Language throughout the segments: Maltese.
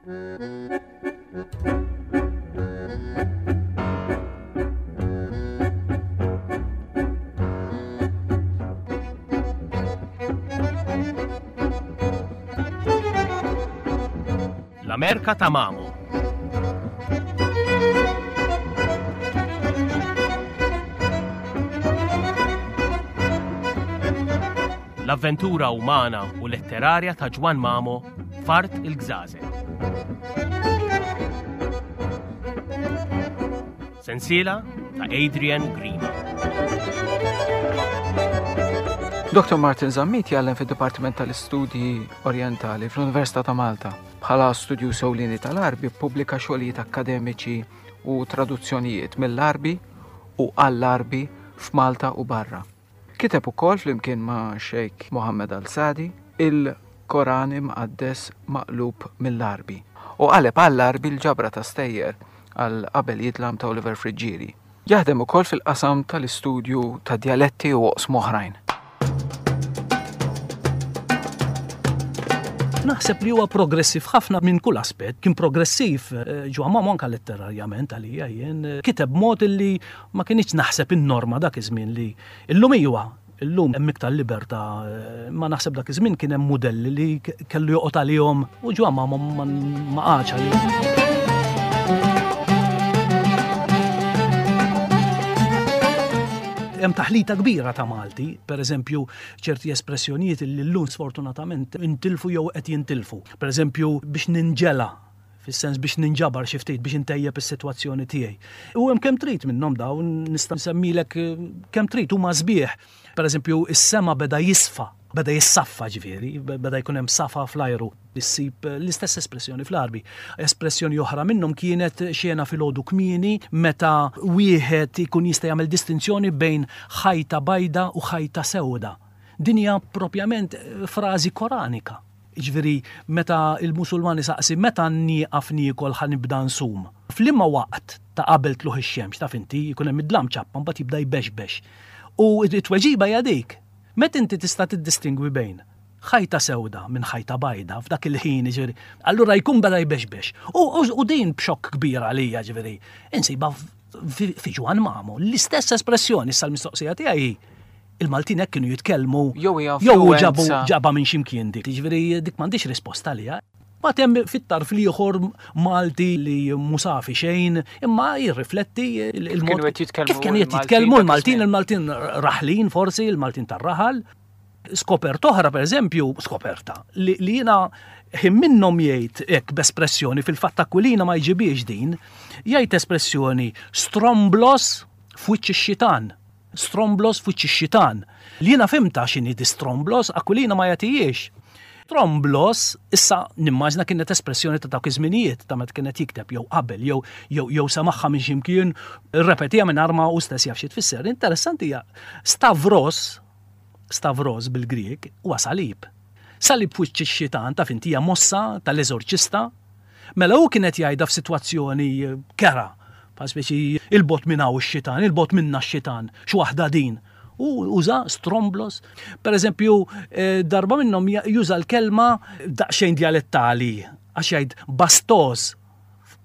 L-Amerka ta' Mamo. L-avventura umana u letterarja ta' Ġwann Mamo f'Art il-Gżażel. Sensiela ta' Adrian Grima. Dr. Martin Zammit jgħallem fid-Dipartiment tal-Istudji Orjentali fl-Università ta' Malta. Bħala studjuż ewlieni tal-Għarbi ppubblika xogħlijiet akkademiċi u traduzzjonijiet mill-Għarbi u għall-Għarbi f'Malta u barra. Kiteb ukoll flimkien ma' Sheikh Mohammed Al-Sadi il-Koran Imqaddes maqlub mill-Għarbi u qaleb għall-Għarbi l-ġabra ta' stejjer għal Qabel Jidlam ta' Oliver Friggieri. Jaħdem ukoll fil-qasam tal-istudju tad-djaletti u oqsma oħrajn. Naħseb li huwa progressiv ħafna minn kull aspett. Kien progressiv eh, ġo Mamo anka letterarjament għalija jien. Eh, kiteb mod illi ma kinitx naħseb in-norma dak iż-żmien li illum iwa illum hemm iktar libertà, eh, ma naħseb dak iż-żmien kien hemm mudelli li kellu joqgħod għalihom u ġo Mamo ma qagħadx għalihom. Hemm taħlita kbira ta' Malti, per eżempju, ċerti espressjonijiet li llum sfortunatament intilfu jew qed jintilfu. Per eżempju, biex ninġela, fis-sens biex ninġabar xi ftit biex intejjeb is-sitwazzjoni tiegħi. U hemm kemm trid minnhom dawn nista' nsemmilek eh, kemm trid huma sbieħ. Per eżempju, is-sema beda jisfa, beda jissaffa ġifieri, beda jkun hemm safa fl-ajru. Issib eh, l-istess espressjoni fl-Għarbi. Espressjoni oħra minnhom kienet xena filgħodu kmieni meta wieħed ikun jista' jagħmel distinzjoni bejn ħajta bajda u ħajta sewda. Din hija propjament eh, frażi Koranika. Jiġifieri meta l-Musulman isaqsi meta nieqaf niekol ħa nibda nsum? F'liema waqt ta' qabel tlugħ ix-xemx, taf inti, jkun hemm id-dlam ċappa mbagħad jibda jbexbex. U t-tweġiba hija dik. Meta inti tista' tiddistingwi bejn ħajta sewda minn ħajta bajda f'dak il-ħin, jiġifieri, allura jkun beda jbexbex. U din b'xokk kbir għalija, ġifieri, insibha fi Ġwann Mamo, l-istess espressjoni, issa l-mistoqsija tiegħi hi, il-Maltin hekk kienu jitkellmu jew hija jew ġabu ġaba minn x'imkien dik. Jiġifieri dik m'għandix risposta għaliha. Mbagħad hemm fit-tarf l-ieħor Malti li mhu safi xejn, imma jirrifletti il-mod kif kienu qed jitkellmu l-Maltin, il-Maltin raħlin forsi, il-Maltin tar-raħal. Skoperta oħra, per eżempju, skoperta, li jiena ħin minnhom jgħid hekk b'espressjoni fil-fatt Aquilina ma jġibiex din, jgħid espressjoni stromblos f'wiċċ ix-xitan. Stromblos f'wiċċ ix-xitan. Li jiena fhimtha x'inhi di stromblos, Aquilina ma jagħtihiex. Stromblos, issa nimmaġna kienet espressjoni ta' dawk iż-żminijiet, ta' meta kien qed jikteb jew qabel jew jew jew semagħha minn xi mkien, irrepetiha mingħajr ma hu stess jaf xi tfisser. Interessanti hija stavros, stavros bil-Grieg, huwa salib. Salib f'wiċċ ix-xitan, taf inti hija mossa tal-eżorċista Mela hu kien qed jgħidha f'sitwazzjoni kerha, bħal speċi 'il bogħod minn hawn ix-xitan, 'il bogħod minna x-xitan, x'waħda din. U uża stromblos. Per eżempju, darba minnhom juża l-kelma daqsxejn djalettali għax jgħid bastoż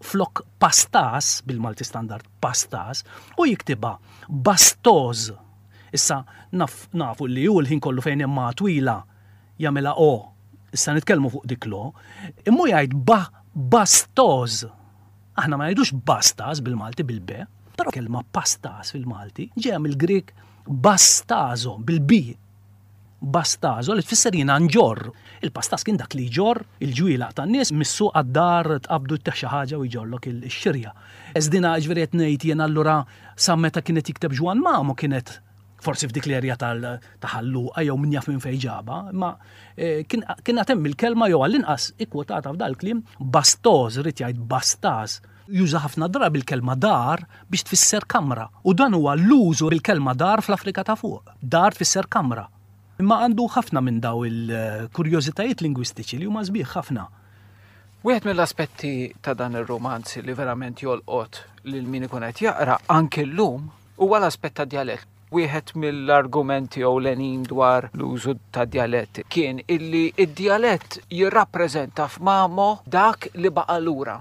flok pastas bil-Malti standard pastas u jiktibha bastoż. Issa naf, nafu li hu l-ħin kollu fejn hemm ma twila jagħmilha o. Issa nitkellmu fuq dik l-o. Imma hu jgħid ba, bastoż. Aħna ma ngħidux bastas bil-Malti bil-b, però kelma pastas fil-Malti ġejja mill-Grieg bastazo bil-b. Bastazo li tfisser jiena nġorr. Il-pastas kien dak li jġorr il-ġwielag tan-nies mis-suq għad-dar tqabbdu ttih xi ħaġa u jġorrlok ix-xirja. Eżdina ġifieri qed ngħid jien allura sa meta kien qed jikteb Ġwann Mamo kienet forsi f'dik l-erja ta' Ħal Luqa jew min jaf minn fejn ġabha, imma eh, kien għad hemm il-kelma jew għall-inqas ikkwotata f'dal-kliem bastoż, irid jgħid bastaż. Juża ħafna drabi l-kelma dar biex tfisser kamra u dan huwa l-użu bil-kelma dar fl-Afrika ta' fuq. Dar tfisser kamra. Imma għandu ħafna minn daw il-kurjożitajiet lingwistiċi li huma sbieħ ħafna. Wieħed mill-aspetti ta' dan ir-rumanz li verament jolqot lil min ikun qed jaqra anke llum Huwa l-aspett tad-djalett. Wieħed mill-argumenti ewlenin dwar l-użu tad-djalett kien illi d-djalett jirrappreżenta f'Mamo dak li baqa' lura.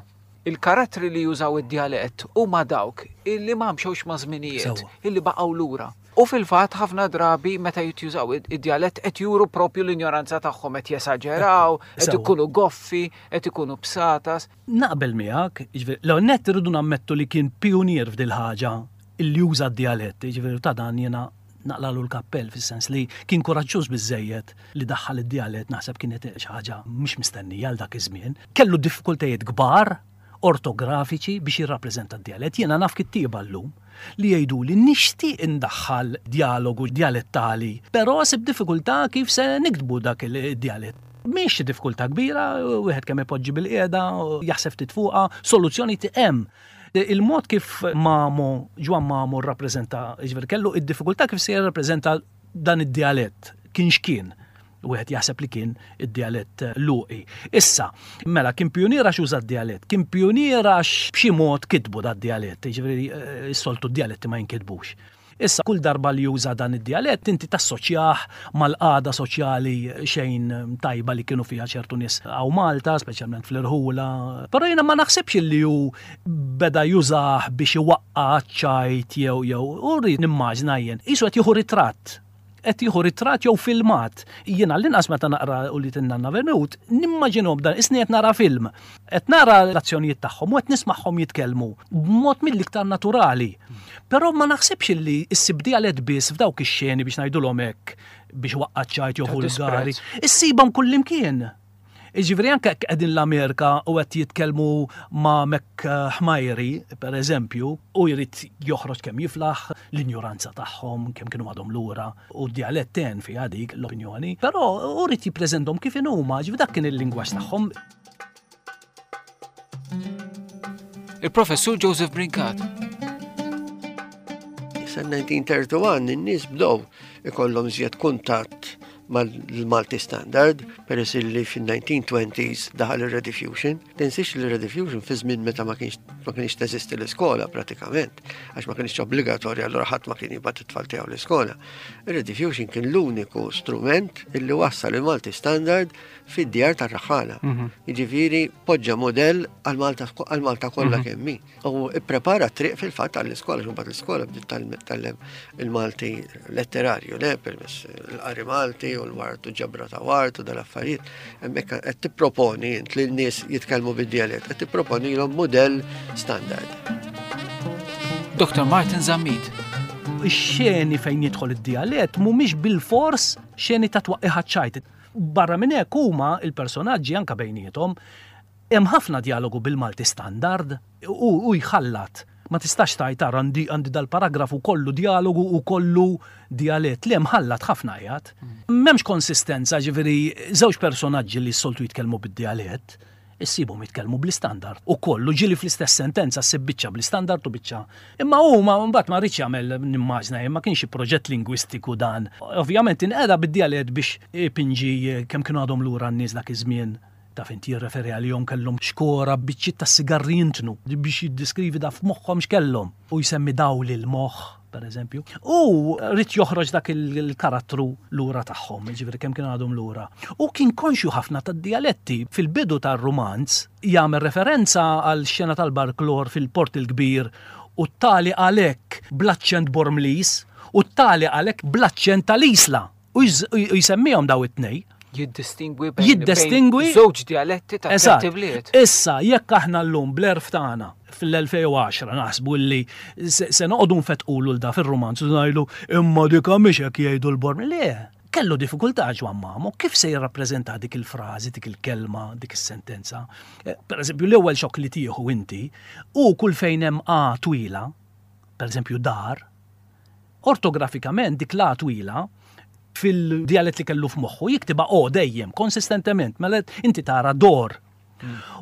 Il-karattri li jużaw id-djalett huma dawk illi ma mxewx maż-żminijiet, illi baqgħu lura. U fil-fatt ħafna drabi meta jitjużaw id-djalett qed juru propju l-injoranza tagħhom, qed jesaġeraw, qed ikunu goffi, qed ikunu bsatas. Naqbel miegħek, jiġifieri l-ewwel nett irridu nammettu li kien pijunier f'dil ħaġa illi juża d-djalett, jiġifieri ta' dan jiena naqlalu l-kappell fis-sens li kien kuraġġuż biżżejjed li daħħal id-djalett naħseb kienet xi ħaġa mhix mistennija għal dak iż-żmien. Kellu diffikultajiet kbar ortografiċi biex jirrappreżenta d-djalett. Jiena naf kittieba llum li jgħiduli nixtieq indaħħal djalogu djalettali, però sib diffikultà kif se niktbu dak id-djalett. Mhix xi diffikultà kbira, wieħed kemm ipoġġi bilqiegħda, jaħseb ftit fuqha, soluzzjoni hemm. Il-mod kif Mamo, Ġwann Mamo rrappreżenta, jiġifieri kellu id-diffikultà kif se jirrappreżenta dan id-djalett, kien x'kien. Wieħed jaħseb li kien id-djalett Luqi. Issa, mela kien pijunier għax uża d-djalett, kien pijunier għax b'xi mod kitbu dad-djalett, jiġifieri s-soltu d-djaletti ma jinkitbux. Issa, kull darba li juża dan id-djalett inti tassoċjah mal-qagħda soċjali xejn tajba li kienu fiha ċertu nies hawn Malta, speċjalment fl-irħula. Però jiena ma naħsibx li hu beda jużah biex iwaqqa' għaċ-ċajt jew jew u rrid nimmaġna jien. Qisu qed jieħu ritratt. Qed jieħu ritratt jew filmat. Jien għall-inqas meta naqra Ulied in-Nanna Venut, nimmaġinhom dan, qisni qed nara film. Qed nara l-azzjonijiet tagħhom u qed nismagħhom jitkellmu b'mod mill-iktar naturali. Però ma naħsibx illi issib djalett biss f'dawk ix-xeni biex ngħidulhom hekk biex waqqa' ċajt jew vulgari. Issibhom kullimkien. Jiġifieri anke jekk qegħdin l-Amerika u qed jitkellmu ma' Mek Ħmajri, per eżempju, u jrid joħroġ kemm jiflaħ l-injuranza tagħhom, kemm kienu għadhom lura, u d-djalett għen fiha dik l-opinjoni, però hu ried jippreżentahom kif inhuma, ġifieri dak kien il-lingwaġġ tagħhom. Il-Professur Joseph Brincat. Sa 1931 in-nies bdew ikollhom żjed kuntatt mal-Malti Standard, peress li fin-1920s daħal ir-Rediffusion. Tinsiex li Rediffusion fi żmien meta ma kienx ma kienx teżisti l-iskola pratikament, għax ma kienx obbligatorja allura ħadd ma kien jibgħat it-tfal tiegħu l-iskola. Ir-Rediffusion kien l-uniku strument illi wassal il-Malti Standard fid-djar tar-raħħala. Mhm. Jiġifieri poġġa modell għal Malta kollha mhm. kemm hi. U ipprepara triq fil-fatt għall-iskola, xumbat l-iskola bdiet tallem il-Malti letterarju, le, permess l-qari Malti u l-wart u ġabra ta' wart u dal-affarijiet. Hemmhekk qed tipproponi int li n-nies jitkellmu bid-djalett, qed tipproponilhom modell standard. Dr. Martin Zammit. Ix-xeni fejn jidħol id-djalett mhumiex bil-fors xeni ta' twaqqi ċajt. Barra minn hekk huma il-personaġġi anke bejniethom hemm ħafna dialogu bil-Malti standard u jħallat. Ma tistax tgħid tara għandi għandi dal-paragrafu kollu dialogu u kollu djalett. Le mħallat ħafna qiegħed. M'hemmx konsistenza, ġifieri żewġ personaġġi li s-soltu jitkellmu bid-djalett, issibhom jitkellmu bl-istandard. U kollu ġieli fl-istess sentenza ssib biċċa bl-istandard u biċċa. Imma huma mbagħad ma rridx jagħmel nimmaġna jien ma kienx xi proġett lingwistiku dan. Ovvjament inqeda bid-djalett biex ipinġi kemm kienu għadhom lura n-nies dak iż-żmien. Taf int jirreferi għalihom kellhom xkora b'biċċiet ta' sigarri jintnu biex jiddeskrivi da f'moħħhom x'kellhom u jsemmi dawl il-moħħ, per eżempju. U ried joħroġ dak il-karattru lura tagħhom, jiġifieri kemm kienu għadhom lura. U kien konxju ħafna tad-djaletti. Fil-bidu tar-rumanz jagħmel referenza għal xena tal-barklor fil-Port il-Kbir u t-tali għalhekk bl-aċċent Bormliż u t-tali għalhekk bl-aċċent tal-Isla. U jsemmihom daw it-tnej. Jiddistingwi bejn jiddistingwi żewġ djaletti ta' tlett ibliet. Issa, jekk aħna llum bl-għerf tagħna fl-2010 naħsbu li se noqogħdu nfettqulu 'l da fir-rumanz u ngħidu imma dik mhix hekk jgħidu l-Borm. Le, kellu diffikultà Ġwann Mamo kif se jirrappreżenta dik il-frażi, dik il-kelma, dik is-sentenza. Eh, per eżempju, l-ewwel xokk li tieħu inti u kull fejn hemm A twila, per eżempju dar, Ortografikament dik l-A twila fil-djalett li kellu f'moħħu jiktibha O dejjem, konsistentement, mela inti tara dor.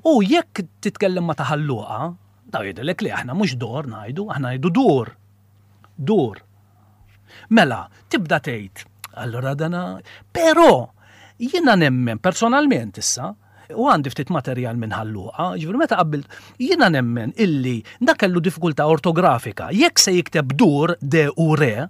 U jekk titkellem ma' ta' Ħal Luqa, daw jgħidulek li aħna mhux dor ngħidu, aħna ngħidu dur. Dur. Mela, tibda tgħid, allura dana, però jiena nemmen personalment issa, U għandi ftit materjal minn Ħal Luqa, ġifieri meta qabbilt, jiena nemmen illi dak kellu diffikultà ortografika. Jekk se jikteb dur, de u re,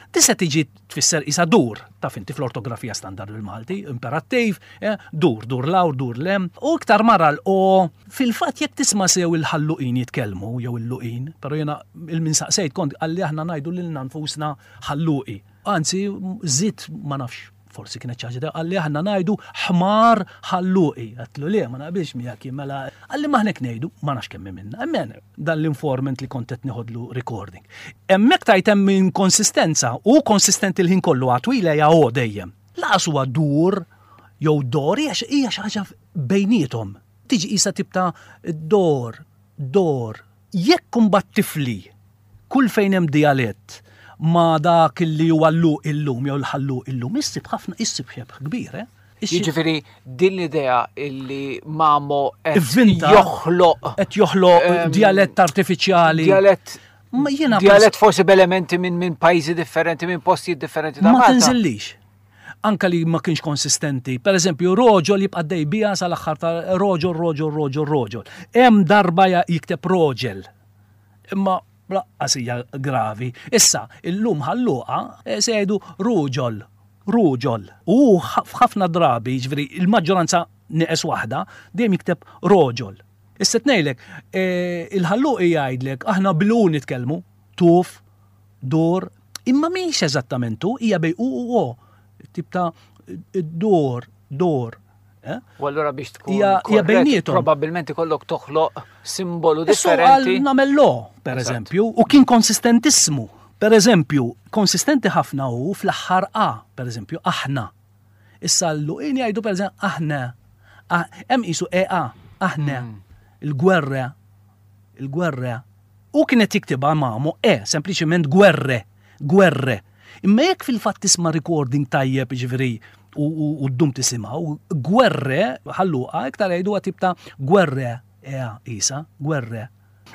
Tista' tiġi tfisser isa dur, taf inti fl-ortografija standard bil-Malti, imperattiv, eh, dur, dur law, dur lem, u iktar mara l-o. Fil-fatt jekk tisma' sew il-ħalluqin jitkellmu jew il-luqin, però jiena il-min saqsejt kont qalli aħna ngħidu lilna nfusna ħalluqi. Anzi, żidt ma nafx forsi kienet xi ħaġa qalli aħna ngħidu ħmar ħalluqi. Għedtlu le, ma naqbilx miegħek jien mela. Qalli ma aħna ngħidu, ma nafx kemm minna. Emmen, dan l-informant li kont qed nieħodlu recording. Hemmhekk tajt hemm inkonsistenza u konsistenti l-ħin kollu għatwila hija o dejjem. Laqas huwa dur jew dor hija xi ħaġa bejniethom. Tiġi qisha tip ta' dor, dor. Jekk imbagħad tifli kull fejn hemm dijalett ma' dak li huwa l-Luq illum jew l-Ħalluq illum, issib ħafna, issib xebh kbir, eh? Jiġifieri din l-idea illi Mamo qed joħloq qed joħloq ehm, dialett artifiċjali. Dialett jiena dialett forsi b'elementi minn min pajjiżi differenti, minn postijiet differenti ta' Ma tinżillix. Anka li ma kienx konsistenti. Per eżempju, roġol jibqa' dej bija sal-aħħar ta' roġol, roġol, roġol, roġol. Hemm darba jikteb roġel. Imma laqqas hija gravi. Issa, illum ħalluqa eh, se jgħidu ruġol, ruġol. U f'ħafna drabi, ġifieri il-maġġoranza neqes waħda, dejjem jikteb roġol. Issa tnejlek, eh, il-ħalluqi jgħidlek aħna blu nitkellmu, tuf, dur, imma mhix eżattament hu, hija bej u u o. Tip ta' dur, dur. Eh? U allura biex tkun hija bejnietom. Probabbilment ikollok toħloq simbolu differenti. Nagħmel lo, per eżempju, u kien konsistentissimu. Per eżempju, konsistenti ħafna hu fl-aħħar A, per eżempju, aħna. Issa l-luqin jgħidu per eżempju aħna. Ah, hemm qisu EA, aħna. Hmm. Il-gwerra, il-gwerra. U kienet jiktibha mamu E, sempliċement gwerre, gwerre. Imma jekk fil-fatt tisma' recording tajjeb jiġifieri u ddum tisimgħu, gwerre ħalluqa iktar jgħiduha tip ta' gwerre ea isa, gwerre.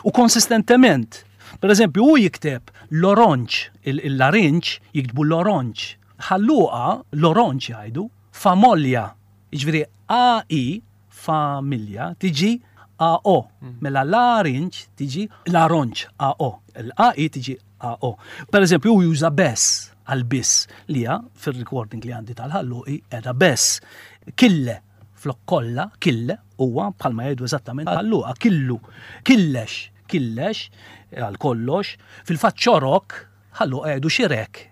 U konsistentement, per eżempju, hu jikteb l-oronġ, il-larinġ jiktbu l-oronġ. Ħalluqa l-oronġ jgħidu, famolja, jiġifieri AI familja tiġi AO. Mm. Mela l-arinġ tiġi l-aronġ AO. L-AI tiġi AO. Per eżempju, u juża bess għal biss li hija fir-recording li għandi tal-ħalluqi edha bess. Kille flok kollha, kille huwa bħalma jgħidu eżattament ħalluqa, killu, killex, killex għal kollox, fil-fatt xorok ħalluqa jgħidu xirek.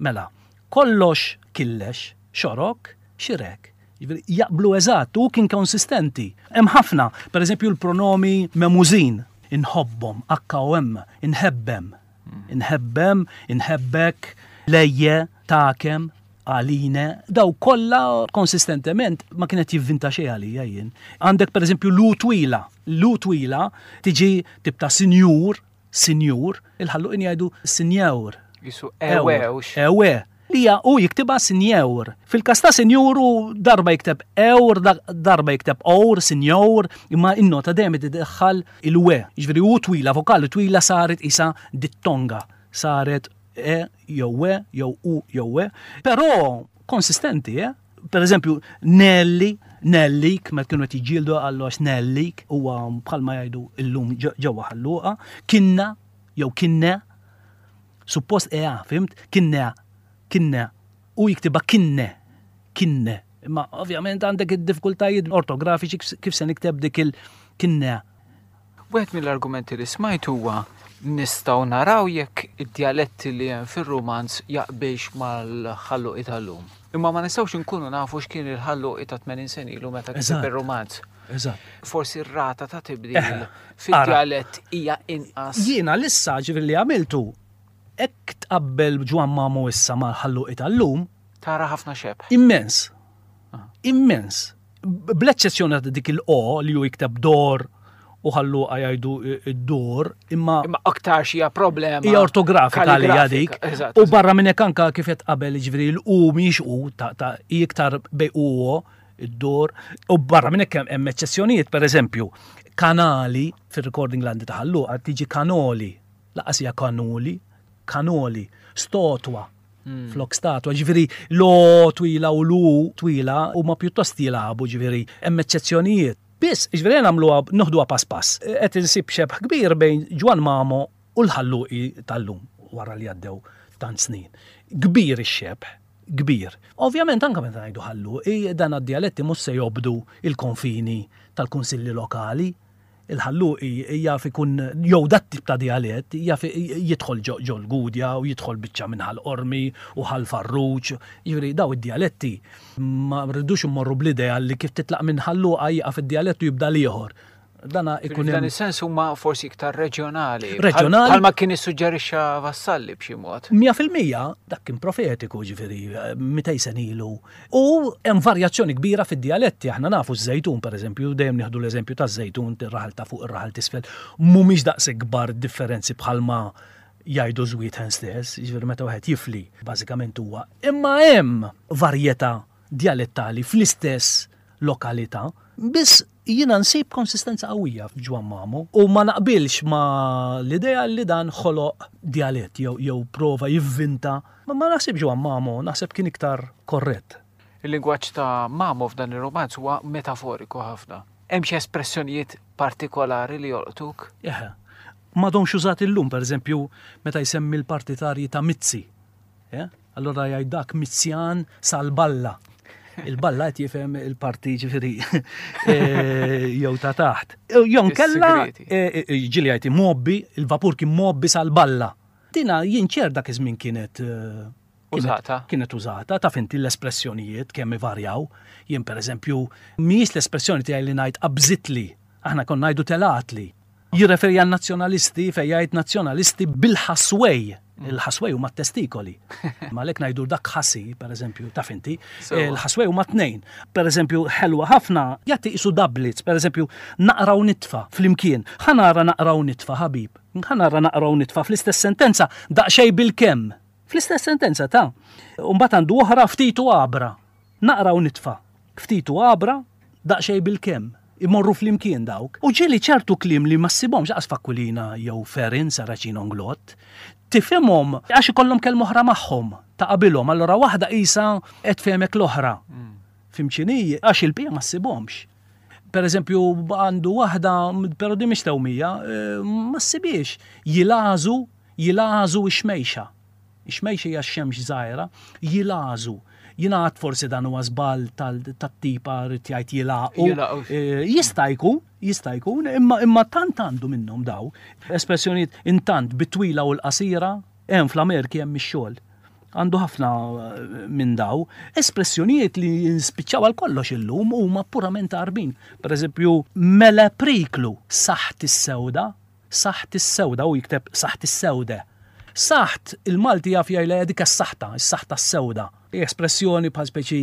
Mela, kollox killex, xorok, xirek. Jiġifieri jaqblu eżatt u kien konsistenti. Hemm ħafna, pereżempju l-pronomi memużin, inħobbhom, H-O-M, inħebbem, inħebbem, inħebbek, lejje, takem, għaline, daw kollha konsistentement ma kienet jivvinta xejn għalija jien. Għandek pereżempju l-u twila, l-u twila tiġi tip ta' sinjur, Sinjur, il-Ħalluqin jgħidu sinjeur. Jisu ewe. Ewe. Hija u jiktibha sinjeur. Fil-każ ta' sinjur u darba jikteb eur, darba jikteb or, sinjor, imma in-nota dejjem iddaħħal il-we. Jiġifieri u twila, vokali twila saret isa dittonga. Saret e jew we jew u jew we. Però konsistenti, eh? Per eżempju, Nelli, Nellik, meta kienu qed jiġġieldu qallu għax Nellik huwa bħalma jgħidu illum ġewwa ħalluqa, kinna jew kinne, suppost ea, fimt? Kinne, kinne, u jiktibha kinne, kinne. Imma ovvjament għandek id-diffikultajiet ortografiċi kif se nikteb dik il-kinne. Wieħed mill-argumenti li smajt huwa nistgħu naraw jekk id-djaletti li hemm fir-rumanz jaqbilx mal-Ħalluqi tal-lum. Imma ma nistgħux inkunu nafu x'kien il-Ħalluqi ta' 80 sena ilu meta kiteb ir-rumanz. Eżatt. Forsi r-rata ta' tibdil fid-djalett hija inqas. Jiena l-issa ġifieri li għamiltu hekk tqabbel Ġwann Mamo issa mal-Ħalluqi tal-lum. Tara ħafna xebh. Immens. Immens. Bl-eċċezzjoni ta' dik il-o li hu jikteb dor u ħalluqa jgħidu d-dur, imma. Imma aktar hija problema. Hija ortografika li hija dik. U barra minn hekk anka kif qed qabel jiġifieri l-u mhijiex u ta' hi iktar bej u o id-dur. U barra minn hekk hemm eċċezzjonijiet, pereżempju, kanali fir-recording landi ta' ħalluqa tiġi kanoli, laqas hija kanuli, kanoli, stotwa. Hmm. Flok statwa, ġifiri lo twila u lu twila u ma pjuttost jilagħbu ġifiri hemm eċċezzjonijiet. Biss, ġifiri nagħmluha noħduha pass pass. Qed insib xebh kbir bejn Ġwan Mamo u l-ħalluqi tal-lum wara li għaddew. tant snin. Kbir ix-xebh, kbir. Ovvjament anke meta ngħidu Ħalluqi, dan għad-djaletti mhux se jobdu l-konfini tal-kunsilli lokali. Il-Ħalluqi jaf ikun jew dat-tip ta' djalett jaf jidħol ġol-Gudja u jidħol biċċa minn Ħal Qormi u Ħal Farruġ. Jiġifieri daw id-djaletti ma rridux immorru bl-idea li kif titlaq minn Ħal Luqa jieqaf id-djalett u jibda l-ieħor. Dana ikun F'dan is-sens huma forsi iktar reġjonali. Reġjonali. Bħalma kien issuġġerixxa Vassalli b'xi mod. 100% dak kien profetiku ġifieri 200 sena ilu. U hemm varjazzjoni kbira fid-djaletti, aħna nafu ż-Żejtun pereżempju, dejjem nieħdu l-eżempju taż-Żejtun, ir-raħal ta' fuq ir-raħal t'isfel, mhumiex daqshekk kbar differenzi bħalma jgħidu Żwietħen stess, jiġifieri meta wieħed jifli bażikament huwa. Imma hemm varjetà djalettali fl-istess lokalità, biss jiena nsib konsistenza qawwija f'Ġwann Mamo u ma naqbilx ma' l-idea li dan ħoloq djalett jew jew prova jivvinta. Ma naħsibx Ġwann Mamo, naħseb kien iktar korrett. Il-lingwaġġ ta' Mamo f'dan ir-rumanz huwa metaforiku ħafna. Hemm xi espressjonijiet partikolari li jolqtuk? Eħe. M'għadhomx użati llum, pereżempju, meta jsemmi l-partitarji ta' Mizzi. Eh? Allura jgħid dak Mizzjan sal-balla. Il-balla qed jifhem il-parti ġifieri eh, jew ta' taħt. Jew kella eh, eh, ġieli jgħid mobbi, il-vapur kien mobbi sal-balla. Dina jien ċer dak iż-żmien kienet użata. Kienet użata, taf inti l-espressjonijiet kemm ivarjaw. Jien pereżempju, mhijiex l-espressjoni tiegħi li ngħid qabżitli, aħna konna ngħidu telatli. Jirreferi għan-nazzjonalisti fejn jgħid nazzjonalisti bil-ħaswej. Il-ħaswej huma t-testikoli. Ma għalhekk ngħidu dak ħasi, pereżempju, taf inti. Il-ħaswej huma tnejn. Pereżempju, ħelwa ħafna jagħti qisu doublets, pereżempju, naqra u nitfa' flimkien. Ħa nara naqra u nitfa' ħabib. Ħa nara naqra u nitfa' fl-istess sentenza daqsxejn bil-kemm. Fl-istess sentenza ta'. U mbagħad għandu oħra ftit u għabra. Naqra u nitfa'. Ftit u għabra, daqsxejn bil-kemm. Imorru flimkien dawk. U ġieli ċertu kliem li ma ssibhomx lanqas f'Aquilina jew Ferin, Saracino Nglott, tifhimhom għax ikollhom kelma oħra magħhom ta' qabilhom, allura waħda qisha qed tfehmek l-oħra. Fhimt x'inhi? Għax il-bqija ma ssibhomx. Per eżempju, għandu waħda, però din mhix tewmija, ma ssibhiex. Jilgħażu, jilgħażu x-xmejxa. Ix-xmejx hija x-xemx żgħira, jilgħażu. Jingħad forsi dan huwa żball tat-tipa rrid jgħid jilgħaqu. Eh, jista' jkun, jista' jkun, imma imma tant għandu minnhom daw. Espressjonijiet intant bit-twila u l-qasira, hemm fl-Amerki hemm ix-xogħol. Għandu ħafna eh, minn daw. Espressjonijiet li nspiċċaw għal kollox illum huma purament għarbin. Per eżempju, mela priklu saħt is-sewda, Saħt is-sewda, hu jikteb saħt is-sewde. Saħt, il-Malti jaf jgħidha dik is-saħta, is-saħta s-sewda. Hi espressjoni bħal speċi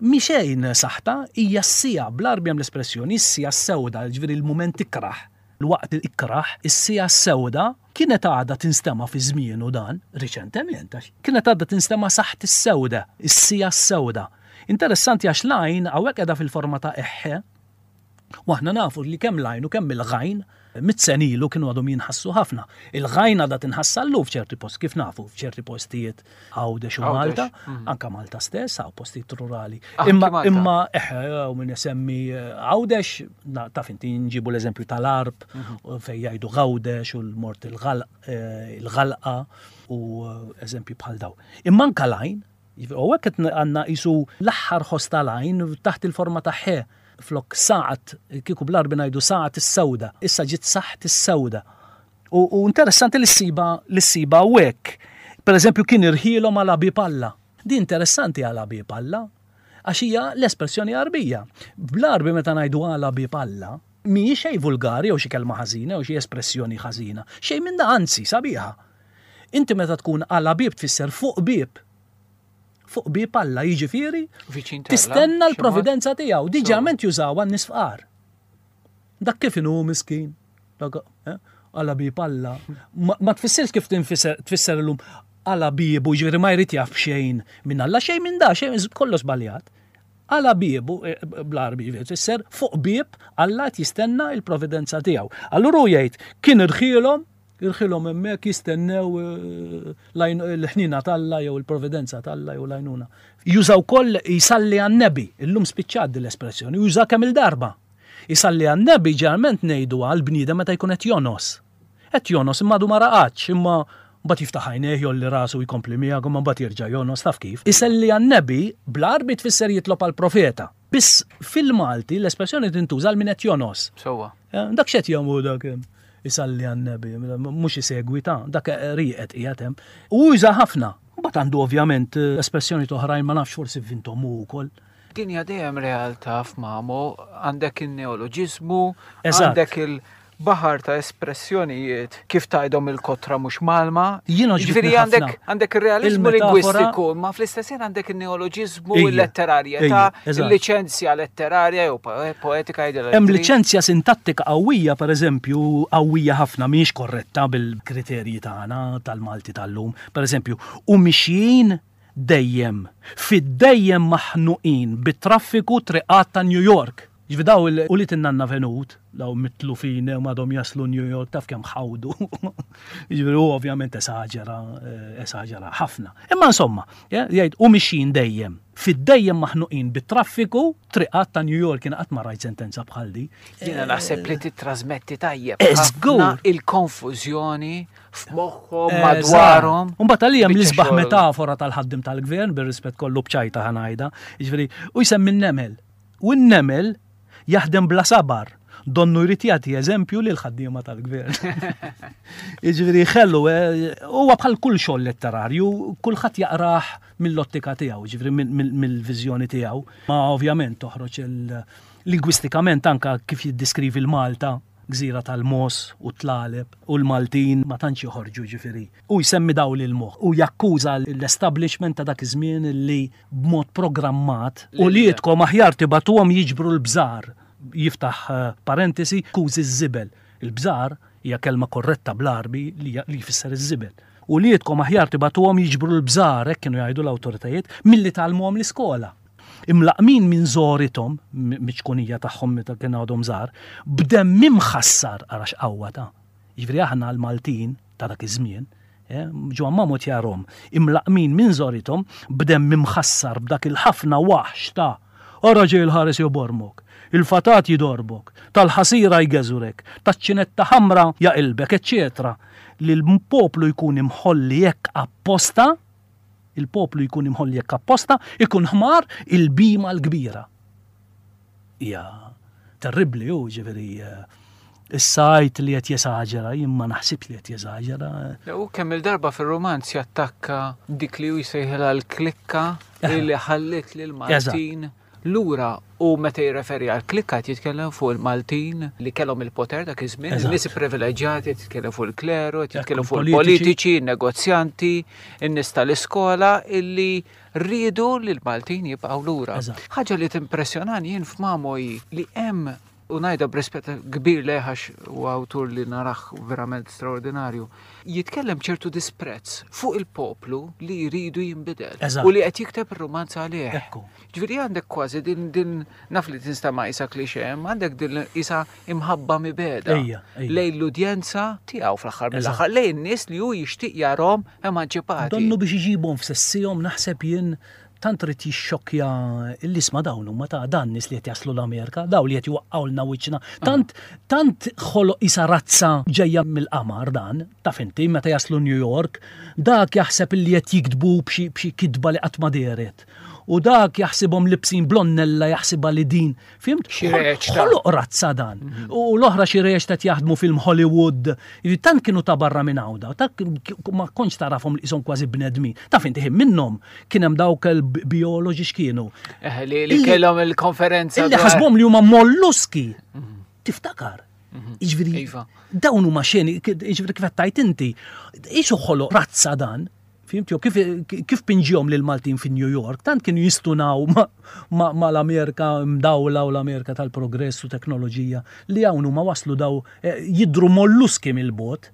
mhi xejn saħta, hija s-siegħa, bl-Għarbi hemm l-espressjoni is-siegħa s-sewda, jiġifieri l-mument ikrah, l-waqt ikrah, is-siegħa s-sewda, kienet għadha tinstema' fi żmienu dan, riċentement, għax kienet għadha tinstema' saħt is-sewda, is-siegħa s-sewda. Interessanti għax l-għajn hawnhekk qiegħda fil-forma ta' eħħe, U aħna nafu li kemm l-għajn u kemm il-ghajn mit sen ilu kienu għadhom jinħassu ħafna. Il-ghajn għadha tinħass sal-lum f'ċerti post, kif nafu, f'ċerti postijiet Għawdex u Malta, mhm. anka Malta stess, hawn postijiet rurali. Ah, imma imma eħe, u min isemmi eh, Għawdex, taf inti nġibu l-eżempju tal-Arb, mhm. fejn jgħidu Għawdex u l-mort eh, il-għalqa u eh, eżempju bħal daw. Imma anka l-għajn, U hekk qed għandna qisu l-aħħar ħoss tal-għajn taħt il-forma ta' ħe flok saqat, kieku bl-Għarbi ngħidu saqat is-sewda, issa ġiet saħt is-sewda. U, u interessanti li ssiba li ssiba hawnhekk. Per eżempju kien irħielhom għal bieb Alla. Di interessanti għal bieb Alla għax hija l-espressjoni Għarbija. Bl-Għarbi meta ngħidu għala bieb Alla, mhijiex xejn vulgari jew xi kelma ħażina jew xi espressjoni ħażina. Xejn minn da anzi sabiħa. Inti meta tkun għala bieb tfisser fuq bieb. Fuq bieb Alla, jiġifieri tistenna l-providenza tiegħu. Diġament jużawha n-nies fqar. Dak kif inhu miskin. Eh, għala bieb Alla. Ma tfissirx kif tfisser illum għala biebu, ġifieri ma jrid jaf xejn minn Alla, xejn minn da, xejn kollu żbaljat. Għala biebu, eh, bl-Għarbi tfisser fuq bieb Alla qed jistenna il-providenza tiegħu. Allura hu jgħid kien irħielhom Irħilhom hemmhekk jistennew l-ħniena t'Alla jew il-providenza t'Alla jew l-għajnuna. Juża wkoll jsalli għan-Nebi. Illum spiċċat din l-espressjoni, juża kemm-il darba. Isalli għan-Nebi ġeneralment ngħiduha għall-bniedem meta jkun qed jongħos. Qed jongħos imma għadu ma raqadx, imma Mbagħad jiftaħ għajnejh, jgħolli rasu u jkompli miegħek imma mbagħad jerġa' jonqos taf kif. Iselli għan-Nebi bl-Għarbi tfisser jitlob għall-profeta. Biss fil-Malti l-espressjoni tintuża għal min qed jonqos. Sewwa. Dak x'qed jagħmlu dak hemm? Isalli għan-Nebi, mhux isegwi ta' dak rieqed qiegħed hemm. U juża ħafna. Mbagħad għandu ovvjament espressjonijiet oħrajn ma nafx forsi vvinthom hu wkoll. Din hija dejjem realtà f'Mamo, għandek in-neoloġiżmu, għandek il-baħar ta' espressjonijiet kif tgħidhom il-kotra mhux mgħallma. Jien għoġbitni Jiġifieri għandek ħafna għandek ir-realiżmu il-metafora. lingwistiku, imma fl-istess ħin għandek in-neoloġiżmu, Ejja, il-letterarjetà, ejja, eżatt. il-liċenzja letterarja jew poetika jgħidilha li Hemm trid. liċenzja sintattika qawwija, pereżempju, qawwija ħafna mhijiex korretta bil-kriterji tagħna tal-Malti tal-lum. Pereżempju, u mixjin dejjem, fid-dejjem maħnuqin bit-traffiku triqat ta' New York. Jiġifieri daw il ulied in-nanna Venut, daw mitlufin u għadhom jaslu New York taf kemm ħawdu. Jiġifieri hu ovvjament esaġera, esaġera ħafna. Imma insomma, jgħid u mixjin dejjem, fid-dejjem maħnuqin bit-traffiku triqat ta' New York, jiena qatt ma rajt sentenza bħal di. Jiena naħseb li tittrażmetti tajjeb ħafna il-konfużjoni f'moħħhom madwarhom. Mbagħad għalija hemm l-isbaħ metafora tal-ħaddim tal-gvern bir-rispett kollu b'ċajta ħanajda, jiġifieri u jsemmi n-nemel. U n-nemel jaħdem bla sabar, donnu jrid jagħti eżempju lil ħaddiema tal-gvern. Jiġifieri ħelu, eh, huwa bħal kull xogħol letterarju, kulħadd jaqrah mill-ottika tiegħu, jiġifieri mill-viżjoni tiegħu. Ma ovvjament toħroġ il-lingwistikament anka kif jiddiskrivi l-Malta gżira tal-mogħoż u t-tlaleb u l-Maltin ma tantx joħorġu jiġifieri. Hu jsemmi dawl il-moħħ u jakkuża l-establishment ta' dak iż-żmien li b'mod programmat uliedkom aħjar tibagħtuhom jiġbru l-bżar, jiftaħ parentesi, kużi ż-żibel. Il-bżar hija kelma korretta bl-Għarbi li jfisser iż-żibel. Uliedkom aħjar tibagħtuhom jiġbru l-bżar, hekk kienu jgħidu l-awtoritajiet, milli tgħallmuhom l-iskola. Imlaqqmin minn żgħorithom, miċ-ċkunija tagħhom meta kienu għadhom żgħar, b'demm imħassar, ara x'qawwa ta'. Jiġifieri aħna l-Maltin ta' dak iż-żmien, Ġwann Mamut jarhom, imlaqqmin minn żgħorithom, b'demm imħassar b'dak il-ħafna waħx ta' Ara ġej il-ħares jobormok, il-fatat jidorbok, tal-ħasira jgeżwrek, taċ-ċinetta ħamra jaqilbek, eċċetera Li l-poplu jkun imħolli hekk apposta, Il-poplu jkun imħolli hekk apposta, ikun ħmar il-bhima l-kbira. Hija terribbli hu, ġifieri issa għidt li qed jesaġera, jien ma naħsibx li qed jesaġera. U kemm il-darba fir-rumanz jattakka dik li hu jsejħilha l-klikka li ħalliet lil Maltin Lura u meta jirreferi għal klikka qed jitkellem fuq il-Maltin li kellhom il-poter dak iż-żmien, in-nies ipprivileġġjati, qed jitkellem fuq il-kleru, qed jitkellem fuq il-politiċi, in-negozjanti, in-nies tal-iskola illi riedu li l-Maltin jibqgħu lura. Ħaġa li timpressjonani jien f'Mamo hi li hemm u ngħidha b'rispett kbir lejh għax huwa awtur li narah verament straordinarju, jitkellem b'ċertu disprezz fuq il-poplu li jridu jinbidel u li qed jikteb ir-rumanz għalih. Ġifieri għandek kważi din din naf li tinstema' qisha cliché, imma għandek din qisha imħabba mibegħda lejn l-udjenza tiegħu fl-aħħar mill-aħħar, lejn in-nies li hu jixtieq jarahom emanċipati. Donnu biex iġibhom f'sessihom naħseb jien Tant ried jixxokkja l-isma dawn huma ta' dan nies li qed jaslu l-Amerika, dawn li qed jwaqqgħulna wiċċna. Tant tant ħoloq qisha razza ġejja mill-qamar dan, taf inti, meta jaslu New York, dak jaħseb illi qed jiktbu b'xi b'xi kitba li qatt ma dehret. U dak jaħsibhom libsin blonnella jaħsibha li din Fimt? Xi reċta. Ħoloq razza dan. Mhm. U l-oħra xi reċta qed jaħdmu film Hollywood. Tant kienu ta' barra minn għawda, tant ma kontx tarafhom li qishom kważi bnedmin. Taf inti ħin minnhom kien hemm dawk il-bioloġi x'kienu. Eh, li kellhom il-konferenza. Illi ħasbhom li huma molluski. Mhm. Tiftakar. Mhm. Jiġifieri iva. dawn huma xeni, jiġifieri kif qed tajt inti, isu ħoloq razza dan Fimt, jew kif, kif pinġihom lil Maltin fi New York, tant kienu jistunaw ma, ma, l-Amerika mdawla u l-Amerika tal-progress u teknoloġija li hawn huma waslu daw eh, jidru molluski mill-bot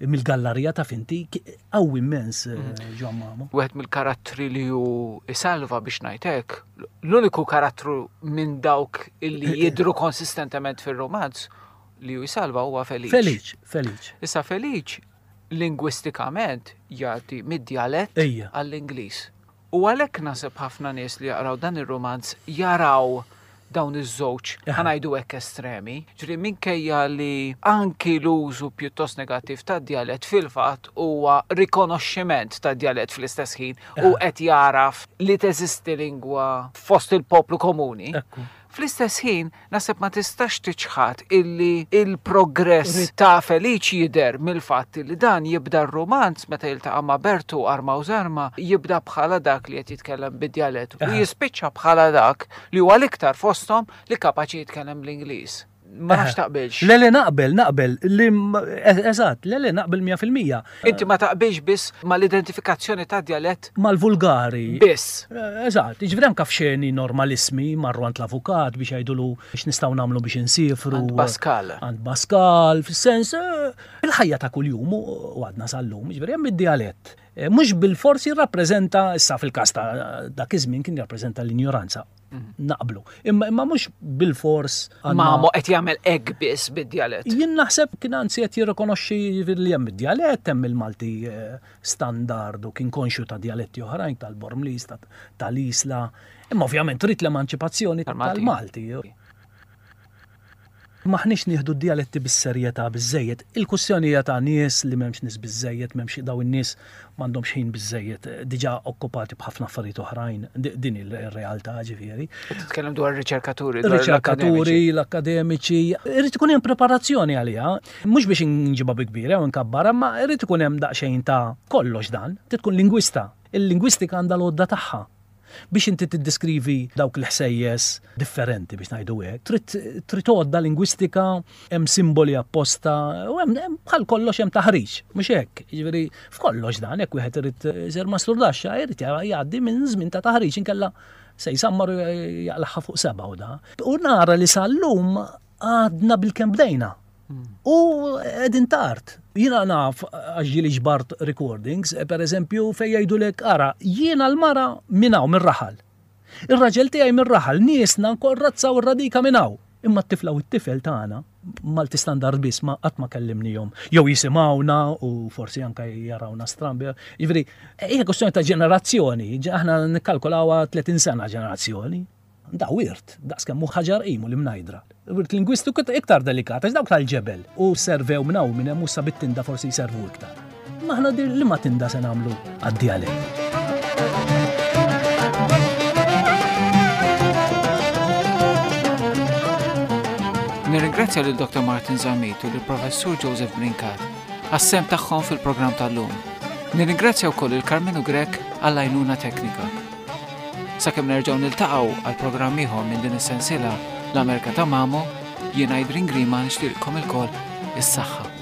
mill-gallarija ta' finti qawwi immens eh, mm. Ġwan Mamo. Wieħed mill-karattri li hu isalva biex ngħid hekk, l-uniku karattru minn dawk illi eh, jidru konsistentement fir-romanz li hu jsalva huwa Feliċ. Feliċ, Feliċ. Issa Feliċ lingwistikament jgħaddi mid-djalett għall-Ingliż. U għalhekk naħseb ħafna nies li jaqraw dan ir-rumanz jaraw dawn iż-żewġ ħa ngħidu hekk estremi. Ġifieri minkejja li anki l-użu pjuttost negattiv tad-djalett fil-fatt huwa rikonoxximent tad-djalett fl-istess ħin u qed jagħraf li teżisti lingwa fost il-poplu komuni. Fl-istess ħin, naħseb ma tistax tiċħad illi il-progress ta' Feliċ jidher mill-fatt illi dan jibda r-rumanz meta jiltaqa' ma' Bertu arma u żarma, jibda bħala dak li qed jitkellem bid-djalett u jispiċċa bħala dak li huwa l-iktar fosthom li kapaċi jitkellem bl-Ingliż. Ma nafx taqbilx. Le le naqbel, naqbel. E, eżatt, le le naqbel 100%. Inti ma taqbilx biss mal-identifikazzjoni ta' djalett. Mal-vulgari. Biss. E, eżatt, jiġifieri anke f'xeni normalismi marru għand l-avukat biex jgħidulu x'nistgħu nagħmlu biex insifru. Għand Pascal. Għand Pascal, fis-sens e, il-ħajja ta' kuljum u għadna sal-lum, jiġifieri hemm id-djalett. Eh, mhux bil-fors jirrappreżenta, issa fil-każ ta' dak iż-żmien kien jirrappreżenta l-injoranza. Mhm. Naqblu. Imma imma mhux bil-fors. Ma mo qed jagħmel hekk biss bid-djalett. Jien naħseb kien anzi qed jirrikonoxxi li hemm id-djalett, hemm il-Malti eh, standard u kien konxju ta' djaletti oħrajn tal-Bormlis, tal-Isla. Imma ovvjament trid l-emanċipazzjoni tal-Malti. M'aħniex nieħdu d-djaletti bis-serjetà biżżejjed. Il-kwistjoni hija ta' nies li m'hemmx nies biżżejjed, m'hemmx dawn in-nies m'għandhomx ħin biżżejjed, diġà okkupati b'ħafna affarijiet oħrajn. Din hi r-realtà ġifieri. Qed titkellem dwar ir-riċerkaturi, dwar l-akkademiċi. Riċerkaturi, l-akkademiċi. Irid ikun hemm preparazzjoni għaliha. Mhux biex inġibha bi kbira jew inkabbarha, imma irid ikun hemm daqsxejn ta' kollox dan. Trid tkun lingwista. Il-lingwistika għandha l-għodda tagħha. Biex inti tiddeskrivi dawk il-ħsejjes differenti biex ngħidu hekk, trid trid għodda lingwistika, hemm simboli apposta, u hemm bħal kollox hemm taħriġ, mhux hekk. Jiġifieri f'kollox dan hekk wieħed irid isir masturdaxxa irid jgħaddi minn żmien ta' taħriġ inkella se jsammar u jaqlagħha fuq seba' u da. U nara li sal-lum għadna bilkemm bdejna. U qegħdin tard. Jiena naf għax ġieli ġbart recordings, eh, per eżempju, fejn jgħidulek ara, jiena l-mara minn hawn mir-raħal. Ir-raġel tiegħi mir-raħal, niesna nkorrazza u r-radika minn hawn. Imma t-tifla u t-tifel tagħna Malti standard biss ma qatt ma kellimnihom. Jew jisimgħuna u forsi anke jarawna strambi. Jiġifieri, hija kwestjoni ta' ġenerazzjoni, aħna nikkalkulawha 30 sena ġenerazzjoni. Da wirt, daqs kemm hu ħaġar qim u l-imnajdra. Wirt lingwistiku iktar delikat, għax dawk tal-ġebel u servew minn hawn minn hemm u sa bit-tinda forsi jservu iktar. Ma aħna li ma tinda se nagħmlu għad-djalett. Nirringrazzja lil Dr. Martin Zammit u lill-Professur Joseph Brincat għas-sehem tagħhom fil-programm tal-lum. Nirringrazzja wkoll il Karmenu Grech għall-għajnuna teknika. Sakemm nerġgħu niltaqgħu għal programm ieħor minn din is-sensiela L-Amerka ta' Mamo, jien Adrian Grima nixtieqilkom ilkoll is-saħħa.